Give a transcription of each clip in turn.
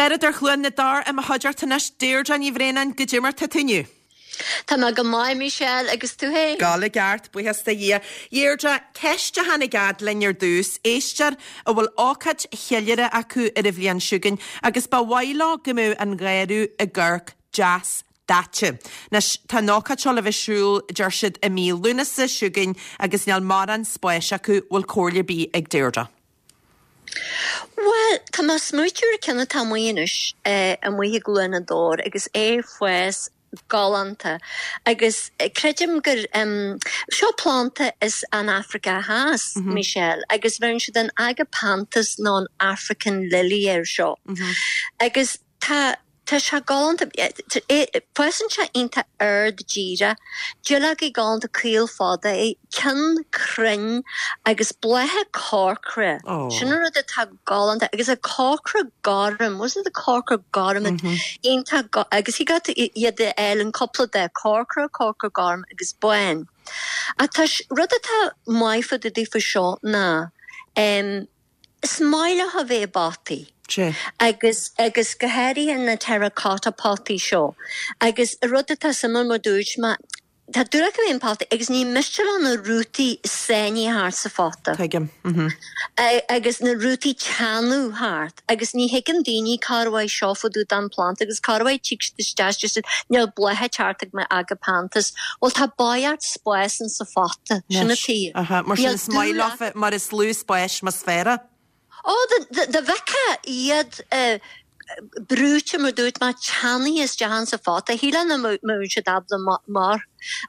Garradóir Chluain na dTor i mo chuideachta anois, Deirdre Ní Bhraonáin, goidé mar tá tú inniu? Tá mé go maith, Michelle, agus tú féin? Ag gabháil i gceart, buíochas do Dhia. Deirdre, ceist a tháinig fhad linn ar dtús, éisteoir a bhfuil ócáid cheiliúrtha acu ar an bhliain seo chugainn agus ba mhaith leo go mbeadh an gharradh ag amharc deas daite. Anois, tá an ócáid seo le bheith ar siúl, deir siad, i mí Lúnasa seo chugainn agus níl mórán spáis acu, bhfuil comhairle ar bith ag Deirdre? Bhuel, tá mé ag smaoitiú ar ceann atá amuigh anois, amuigh i gCluain na dTor agus é ag fás galánta agus creidim gur, seo planda as an Afraice Theas, Michelle, agus bheireann siad an Agapanthus nó an African Lily air seo. Agus tá. Tá sé galánta. Fásann sé iontach ard díreach. Duilleogaí galánta caol fada é, ceann cruinn agus blátha corcra. Sin an rud atá galánta agus an corcra gorm, was it the corcra gorm iontach agus thig leat iad a fháil in cúpla dath, corcra, corcra gorm agus bán. Ach tá rud atá maith fá dtaobh daofa seo ná Is maith leo a bheith i bpotaí. Sea. Agus, agus go háirithe na terracotta potaí seo. Agus rud atá suimiúil mar dúirt mé, tá dúil acu a bheith i bpotaí agus ní miste leo na rútaí sáinnithe thart sa phota. Tuigim. Mhm. Agus na rútaí teannadh thart. Agus ní thuigeann daoine cár mhaith seo fá dtaobh den phlanda agus cár mhaith tig siad isteach is deir siad níl blátha ag teacht ag mo agapanthus. Bhuel tá barraíocht spáis in sa phota. Sin an tuige. Aha, mar sin is maith leofa mar is lú spáis más fearr. Ó, dá bhfeicfeá iad brúite mar dúirt mé, teannaithe isteach in sa phota, shílfeá nach mbeadh siad ábalta mar.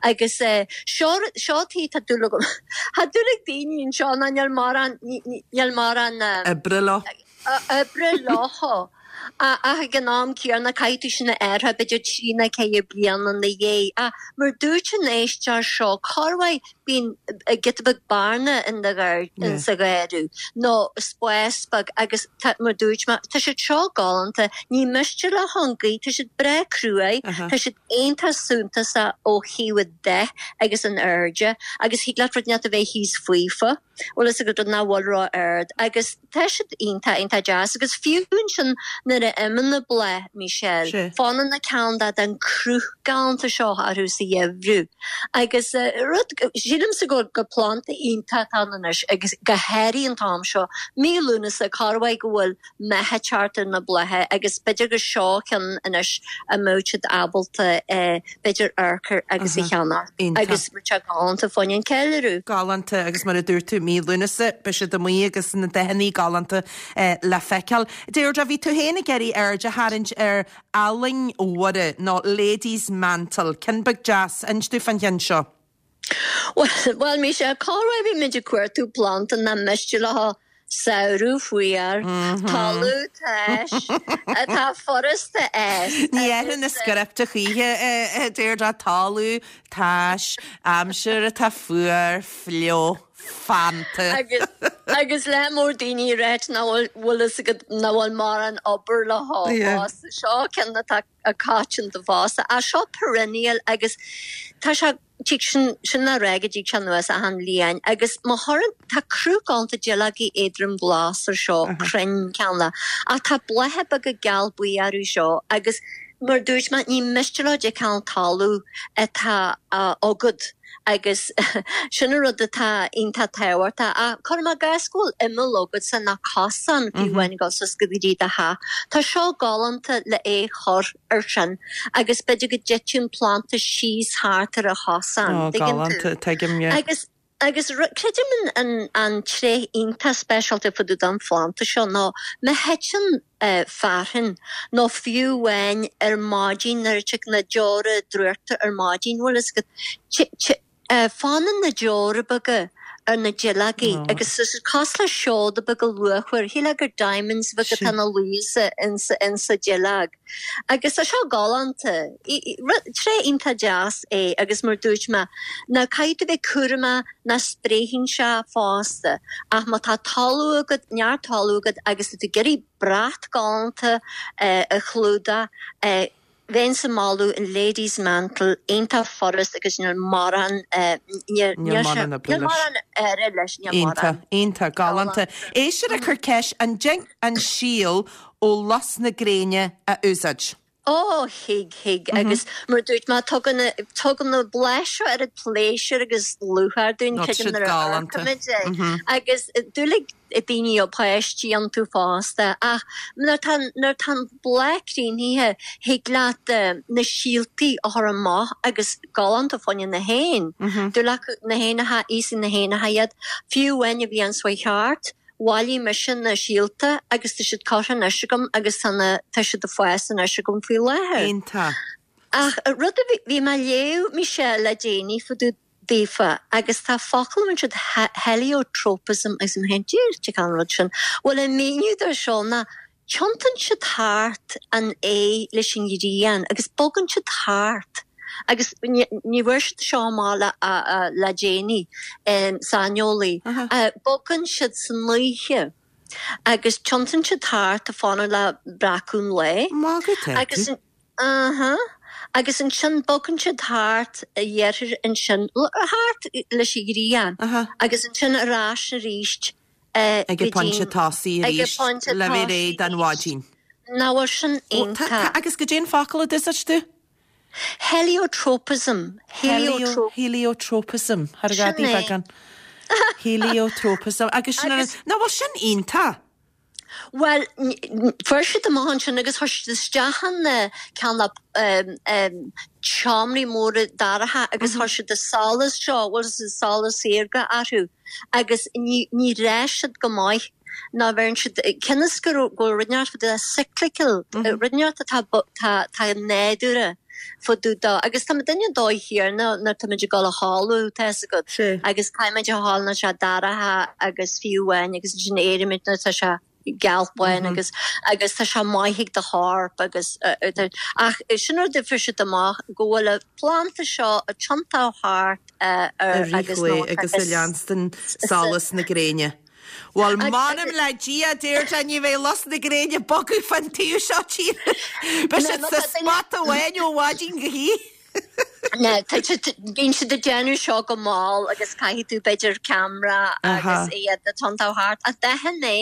Agus seo, seo tuige tá dúil agam, tá dúil ag daoine anseo ná níl mórán, níl mórán. Oibre leo. Oibre leo. Ach ag an am céanna caithfidh tú sin a athrú b'fhéidir 3 nó 4 bliana ina dhiaidh. Ach mar dúirt an éisteoir seo, corruair bíonn giota beag bearna in do in sa gharradh nó spás beag agus tá mar dúirt mé, tá siad seo galánta, ní miste leo an ghaoth, tá siad breá cruaidh, tá siad iontach suntasach ó thaobh an dath agus an airde agus thig leat rud inteacht a bheith thíos faofa. Bhfuil fhios agat nach bhfuil ró-ard agus tá siad iontach, iontach deas agus fiú ansin nuair a imíonn na bláth, Michelle, fanann na ceann de den cruth galánta seo orthu sa gheimhreadh agus rud, sílimse gur gur planda iontach atá ann anois agus go háirithe an t-am seo, mí Lúnasa, corruair go bhfuil meath ag teacht ar na blátha agus b'fhéidir gur seo ceann anois a mbeadh siad ábalta b'fhéidir amharc air agus a cheannach agus beidh sé galánta fá choinne an ceiliúradh. Galánta agus mar a dúirt tú mí Lúnasa beidh siad amuigh agus na dathanna galánta le feiceáil. Deirdre, bhí tú féin ag iarraidh aird a tharraingt ar fhallaing Mhuire nó Lady's Mantle, ceann beag deas, inis dúinn fán cheann seo. Bhuel, Michelle, corruair bímid ag cuartú planda nach miste leo samhradh fuar, talamh tais, atá furasta a fhás. Ní athraíonn an script a choíche, a Deirdre, talamh tais, aimsir atá fuar, fliuch, feannta. Agus lear mór daoine ag ráit nach bhfuil, bhfuil fhios agat, nach bhfuil mórán obair leo fosta. Seo ceann atá coitianta fosta. Ach seo perennial agus tá sé, tig sin, sin le rá go dtig sé anuas achan bhliain agus má chuireann, tá cruth galánta duilleogaí éadrom glas ar seo, cruinn ceann ach tá blátha beaga geal buí orthu seo agus mar dúirt mé, ní miste leo cibé cineál talamh atá agat. Agus sin an rud atá iontach tábhachtach. Ach cuirim i gcás go bhfuil imeall agatsa nó cosán fiú amháin ag dul suas go dtí do theach. Tá seo galánta le é chur ar sin agus b'fhéidir go dtiteann planda síos thart ar an chosán. Ó, Tuigeann tú? galánta, tuigim, yeah. Agus agus creidim an an tréith iontach speisialta fá dtaobh den phlanda seo ná má thiteann fearthainn, nó fiú amháin ar maidin nuair a tig na deora drúchta ar maidin, bhfuil fhios agat, fanann na deora beaga ar na duilleogaí agus is cosúil le seoda beaga luachmhar, shílfeá gur diamonds beaga atá ina luí insa duilleog. Agus tá seo galánta. Tréith iontach deas é agus mar dúirt mé, now caithfidh tú bheith cúramach nach spréifidh sé fosta ach má tá talamh agat, neart talamh agat agus tá tú ag iarraidh brat galánta a chlúdach. Bheinnse ag moladh an Lady's Mantle, iontach furast agus níl mórán, níl Níl mórán oibre níl leis. mórán oibre leis, níl Iontach, mórán. iontach, galánta. Éisteoir ag cur ceist, an dtig an síol ó lus na gréine a úsáid? Ó, thig, thig, agus mar a dúirt mé, tugann, tugann na blátha seo oiread pléisiúir agus lúcháir dúinn, Tá creidim siad nuair a galánta. amharcaimid é. Agus dúiligh daoine ó páistí iontu fosta, ach nuair tá, nuair tá an bláth críochnaithe, thig leat na síoltaí a chur amach agus galánta fá choinne na héin. Dúil acu na héanacha, íosfaidh na héanacha iad. Fiú amháin an bhliain seo chuaigh thart, Bhailigh mise na síolta agus tá siad curtha anois agam agus tá na, tá siad ag fás anois agam faoi láthair. Iontach. Ach rud a bhí, bhí mé ag léamh, Michelle, le déanaí fá dtaobh daofa agus tá focal a siad heliotropism agus mé féin, Dia duit, cén rud sin? Bhuel an míniú dó seo ná tiontaíonn siad thart an aghaidh leis an ghrian agus bogann siad thart agus ní bhfuair siad seo amach le le déanaí, saineolaí, bogann siad san oíche agus tiontaíonn siad thart ag fanacht le breacadh an lae agus aha agus ansin bogann siad thart a dheirtear ansin thart leis an ghrian agus ansin ar ais arís Ag an bpointe tosaigh arís le bheith réidh don mhaidin. Nach bhfuil sin iontach? Agus goidé an focal a d'úsáid tú? Heliotropism. Heliotropism. Thar a Sin é. beagán. Heliotropism. Agus sin an. Nach bhfuil sin iontach? Bhuel, fuair siad amach ansin agus chuir siad isteach in ceann de seomraí móra dorcha agus chuir siad an solas seo, bhfuil solas saorga orthu. agus ní ní raibh siad go maith ná bheireann siad cionn is go raibh go bhfuil rud inteacht fá dtaobh cyclical rud inteacht atá tá tá nádúrtha fá dtaobh dó agus tá muidinne an dóigh chéanna nuair tá muid ag dul a chodladh tá fhios agat agus caithfidh muid a chodladh nuair tá sé dorcha agus fiú amháin agus ansin éirímid nuair tá sé geal bán agus agus tá sé maith ag do chorp agus ach sin rud a fuair siad amach go bhfuil an planda seo ag tiontú thart ar I rith agus lae agus ag leanstan solas na gréine. Bhuel, m'anam le Dia, Deirdre, ní bheidh lus na gréine ag bogadh fán taobh seo tíre. Beidh siad sa spot amháin ó mhaidin go hoíche. Bíonn siad ag déanamh seo go mall agus caithfidh tú b'fhéidir ceamara agus iad ag tiontú thart. Ach d'aithin mé,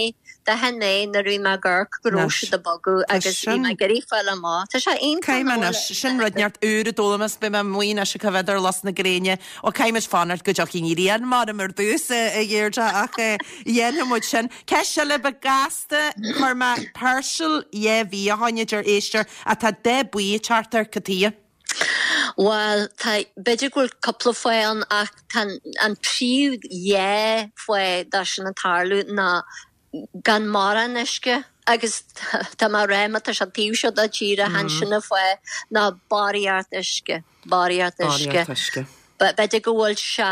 d'aithin mé nuair a bhí mé ag amharc go raibh siad ag bogadh agus bhí mé ag iarraidh fáil amach. Tá sé iontach Caithfidh mé anois, sin rud inteacht úr a d'fhoghlaim is beidh mé amuigh anois ag coimhéad ar lus na gréine. Ó caithfidh muid fanacht go dtiocfaidh an ghrian m'anam ar dtús, a Dheirdre, ach dhéanfaidh muid sin. Ceist eile beag gasta, chuir mé peirsil dhá mhí ó shoin, a deir éisteoir, ach tá dath buí ag teacht air, cad chuige? Bhuel, tá, b'fhéidir go bhfuil cúpla fáth ann ach tá an príomh dhá fáth dó sin ag tarlú ná gan mórán uisce agus tá mé ag rá má tá sé taobh seo de tíre chan sin an fáth ná barraíocht uisce, barraíocht uisce. Barraíocht uisce. B'fhéidir go bhfuil sé,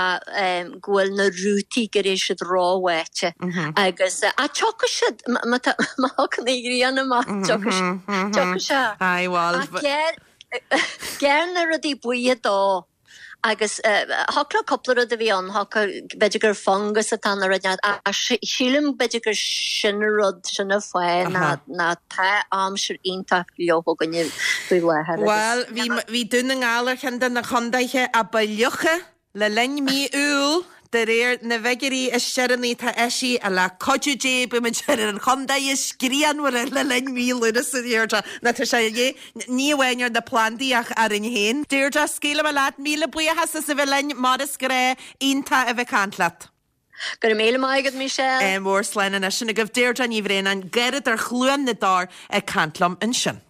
go bhfuil na rútaí go raibh siad róbháite agus, ach tiocfaidh siad, má tá, má thagann an ghrian amach, tiocfaidh sé, tiocfaidh sé. Aye, bhuel. Ach gearr, gearr na rudaí buí dó agus thiocfadh le cúpla rud a bhí ann, thiocfadh, b'fhéidir gur fungus atá ann nó rud inteacht ach sílim b'fhéidir gur sin an rud, sin an fáth ná, ná tá aimsir iontach fliuch againne faoi láthair agus. Bhuel, bhí, bhí Dún na nGall ar cheann de na condaetha a ba fhliucha le linn mí Iúil, de réir na bhfigiúirí is deireanaí atá eisithe, le cuidiú Dé beimid ar an chontae is grianmhaire le linn mí Lúnasa, a Dheirdre. Nó tá sé de dhíth, ní amháin ar na plandaí ach orainn féin. Deirdre, scaoilfidh mé leat, míle buíochas as a bheith linn, mar is gnáth, iontach a bheith ag caint leat. Go raibh míle maith agat, Michelle. Mór slán anois. Sin agaibh Deirdre Ní Bhraonáin, garradóir Chluain na dTor ag caint liom ansin.